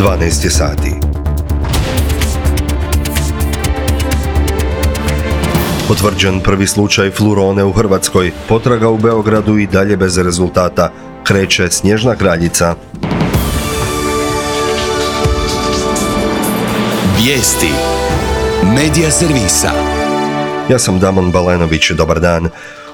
12 je sati. Potvrđen prvi slučaj flurone u Hrvatskoj. Potraga u Beogradu i dalje bez rezultata. Kreće Snježna kraljica. Vijesti Medija servisa. Ja sam Damon Balenović, dobar dan.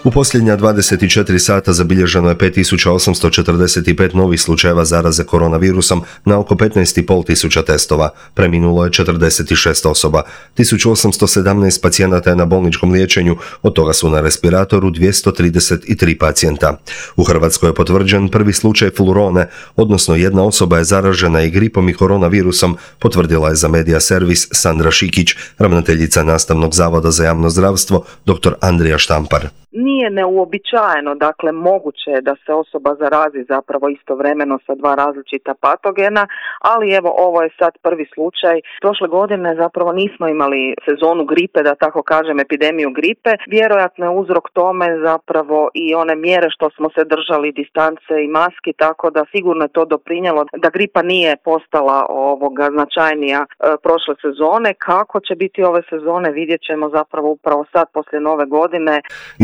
U posljednja 24 sata zabilježeno je 5845 novih slučajeva zaraze koronavirusom na oko 15.500 testova. Preminulo je 46 osoba. 1817 pacijenata je na bolničkom liječenju, od toga su na respiratoru 233 pacijenta. U Hrvatskoj je potvrđen prvi slučaj flurone, odnosno jedna osoba je zaražena i gripom i koronavirusom, potvrdila je za Medija servis Sandra Šikić, ravnateljica Nastavnog zavoda za javno zdravstvo, dr. Andrija Štampar. Nije neuobičajeno, dakle moguće je da se osoba zarazi zapravo istovremeno sa dva različita patogena, ali evo ovo je sad prvi slučaj. Prošle godine zapravo nismo imali sezonu gripe, da tako kažem, epidemiju gripe. Vjerojatno je uzrok tome zapravo i one mjere što smo se držali, distance i maski, tako da sigurno je to doprinijelo da gripa nije postala značajnija prošle sezone. Kako će biti ove sezone vidjet ćemo zapravo upravo sad poslije nove godine.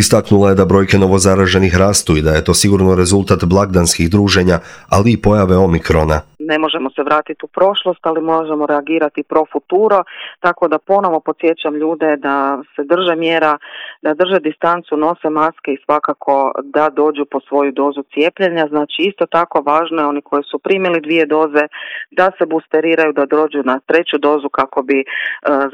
Istaknula je da brojke novozaraženih rastu i da je to sigurno rezultat blagdanskih druženja, ali i pojave omikrona. Ne možemo se vratiti u prošlost, ali možemo reagirati pro futuro, tako da ponovo podsjećam ljude da se drže mjera, da drže distancu, nose maske i svakako da dođu po svoju dozu cijepljenja. Znači isto tako važno je oni koji su primili 2 doze da se boosteriraju, da dođu na 3. dozu kako bi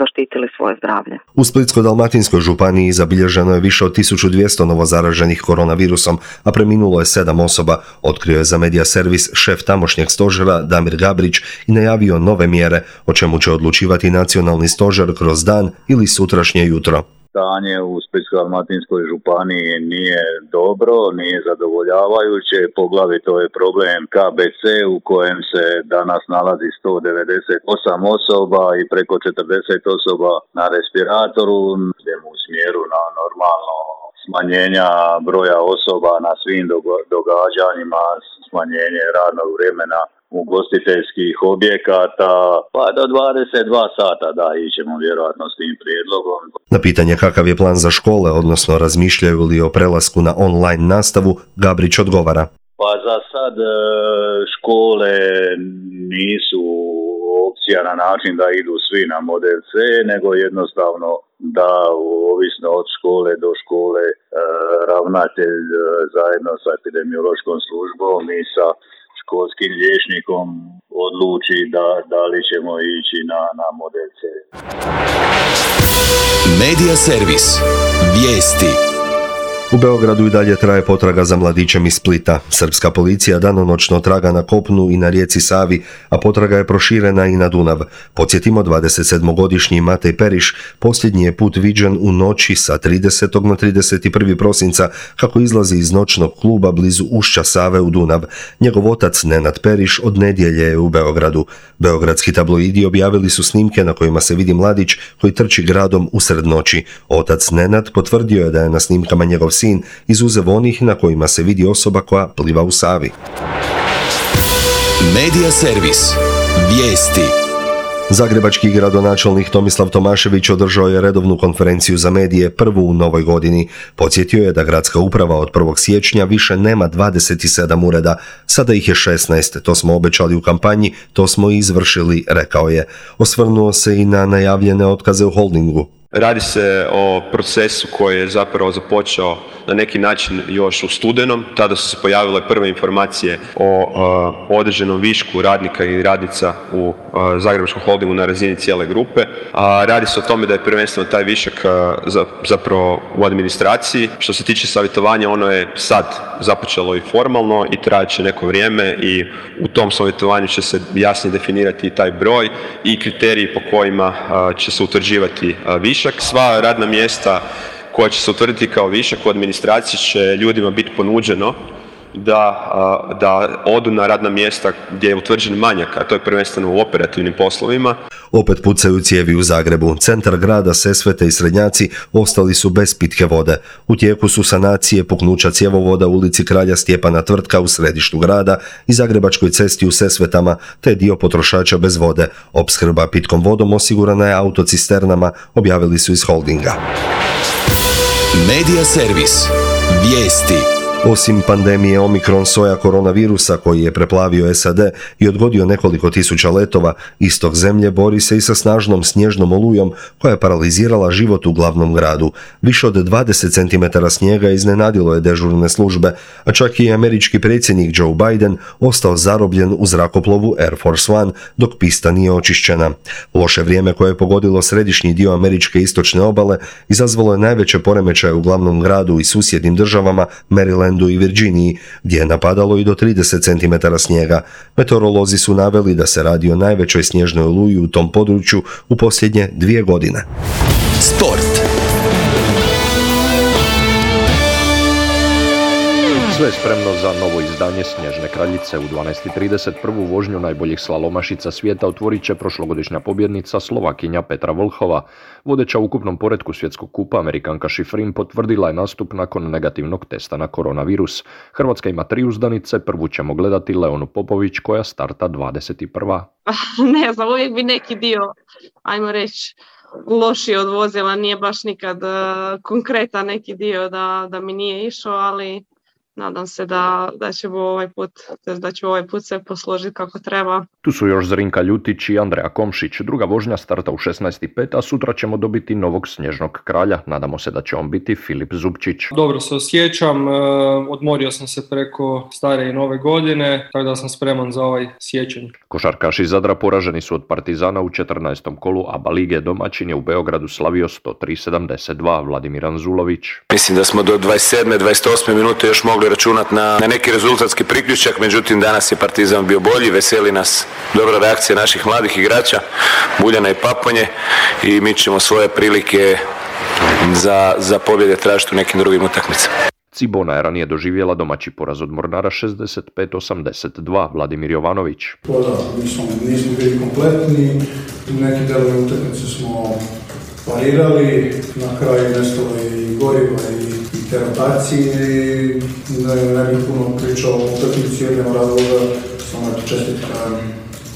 zaštitili svoje zdravlje. U Splitsko-dalmatinskoj županiji zabilježeno je više od 1200 novozaraženih koronavirusom, a preminulo je 7 osoba, otkrio je za Medija servis šef tamošnjeg stožera Damir Gabrić i najavio nove mjere, o čemu će odlučivati nacionalni stožer kroz dan ili sutrašnje jutro. Stanje u Splitsko-dalmatinskoj županiji nije dobro, nije zadovoljavajuće, poglavito je problem KBC u kojem se danas nalazi 198 osoba i preko 40 osoba na respiratoru. Idemo u smjeru na normalno smanjenja broja osoba na svim događanjima, smanjenje radnog vremena ugostiteljskih objekata, pa do 22 sata ićemo vjerojatno s tim prijedlogom. Na pitanje kakav je plan za škole, odnosno razmišljaju li o prelasku na online nastavu, Gabrić odgovara. Pa za sad škole nisu opcija na način da idu svi na model C, nego jednostavno da ovisno od škole do škole ravnatelj zajedno sa epidemiološkom službom i sa školskim liječnikom odluči da li ćemo ići na model C. Medija servis. Vijesti. U Beogradu i dalje traje potraga za mladićem iz Splita. Srpska policija danonoćno traga na kopnu i na rijeci Savi, a potraga je proširena i na Dunav. Podsjetimo, 27-godišnji Matej Periš posljednji je put viđen u noći sa 30. na 31. prosinca kako izlazi iz noćnog kluba blizu ušća Save u Dunav. Njegov otac Nenad Periš od nedjelje je u Beogradu. Beogradski tabloidi objavili su snimke na kojima se vidi mladić koji trči gradom usred noći. Otac Nenad potvrdio je da je na snimkama njegov sin izuzev onih na kojima se vidi osoba koja pliva u Savi. Medija servis. Vijesti. Zagrebački gradonačelnik Tomislav Tomašević održao je redovnu konferenciju za medije, prvu u novoj godini. Podsjetio je da gradska uprava od 1. siječnja više nema 27 ureda, sada ih je 16, to smo obećali u kampanji, to smo i izvršili, rekao je. Osvrnuo se i na najavljene otkaze u holdingu. Radi se o procesu koji je zapravo započeo na neki način još u studenom. Tada su se pojavile prve informacije o određenom višku radnika i radnica u Zagrebačkom holdingu na razini cijele grupe. Radi se o tome da je prvenstveno taj višak zapravo u administraciji. Što se tiče savjetovanja, ono je sad započelo i formalno i trajat će neko vrijeme i u tom savjetovanju će se jasnije definirati i taj broj i kriteriji po kojima će se utvrđivati višak. Sva radna mjesta koja će se utvrditi kao višak u administraciji će ljudima biti ponuđeno da odu na radna mjesta gdje je utvrđen manjak, a to je prvenstveno u operativnim poslovima. Opet pucaju cijevi u Zagrebu. Centar grada, Sesvete i Srednjaci ostali su bez pitke vode. U tijeku su sanacije puknuća cjevovoda u ulici Kralja Stjepana Tvrtka u središtu grada i Zagrebačkoj cesti u Sesvetama, te dio potrošača bez vode. Opskrba pitkom vodom osigurana je autocisternama, objavili su iz Holdinga. Medija servis. Vijesti. Osim pandemije Omikron soja koronavirusa koji je preplavio SAD i odgodio nekoliko tisuća letova, istok zemlje bori se i sa snažnom snježnom olujom koja je paralizirala život u glavnom gradu. Više od 20 cm snijega iznenadilo je dežurne službe, a čak i američki predsjednik Joe Biden ostao zarobljen u zrakoplovu Air Force One dok pista nije očišćena. Loše vrijeme koje je pogodilo središnji dio američke istočne obale izazvalo je najveće poremećaje u glavnom gradu i susjednim državama Maryland i Virginiji, gdje je napadalo i do 30 cm snijega. Meteorolozi su naveli da se radi o najvećoj snježnoj oluji u tom području u posljednje 2 godine. Sport. Sve je spremno za novo izdanje Snježne kraljice. U 12:30 prvu vožnju najboljih slalomašica svijeta otvorit će prošlogodišnja pobjednica Slovakinja Petra Vlhova. Vodeća u ukupnom poretku svjetskog kupa, Amerikanka Šifrin, potvrdila je nastup nakon negativnog testa na koronavirus. Hrvatska ima 3 uzdanice, prvu ćemo gledati Leonu Popović koja starta 21. Ne znam, uvijek bi neki dio, ajmo reći, lošiji od vozila, nije baš nikad konkretan neki dio da mi nije išao, ali nadam se da ćemo ovaj put sve posložiti kako treba. Tu su još Zrinka Ljutić i Andreja Komšić. Druga vožnja starta u 16:05, a sutra ćemo dobiti novog snježnog kralja. Nadamo se da će on biti Filip Zupčić. Dobro se osjećam, odmorio sam se preko stare i nove godine, tako da sam spreman za ovaj siječanj. Košarkaši Zadra poraženi su od Partizana u 14. kolu ABA lige. Domaćin je u Beogradu slavio 103-72. Vladimir Anzulović. Mislim da smo do 27. 28. minute još mogli računati na neki rezultatski priključak, međutim danas je Partizan bio bolji, veseli nas dobra reakcija naših mladih igrača, Buljana i Paponje, i mi ćemo svoje prilike za pobjede tražiti u nekim drugim utakmicama. Cibona je ranije doživjela domaći poraz od Mornara 65-82. Vladimir Jovanović. Nismo bili kompletni, neki delovi utakmice smo parirali, na kraju nestalo i goriva i te rotacije, ne bih puno pričao o utakmici jednog razloga, samo čestitka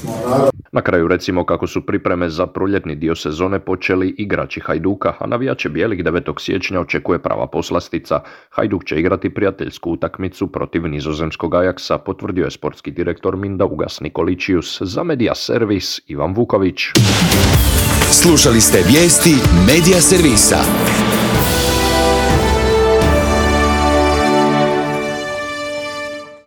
Mornara. Na kraju recimo kako su pripreme za proljetni dio sezone počeli igrači Hajduka, a navijače bijelih 9. siječnja očekuje prava poslastica. Hajduk će igrati prijateljsku utakmicu protiv nizozemskog Ajaxa, potvrdio je sportski direktor Mindaugas Nikoličius. Za Medija servis Ivan Vuković. Slušali ste vijesti Medija servisa.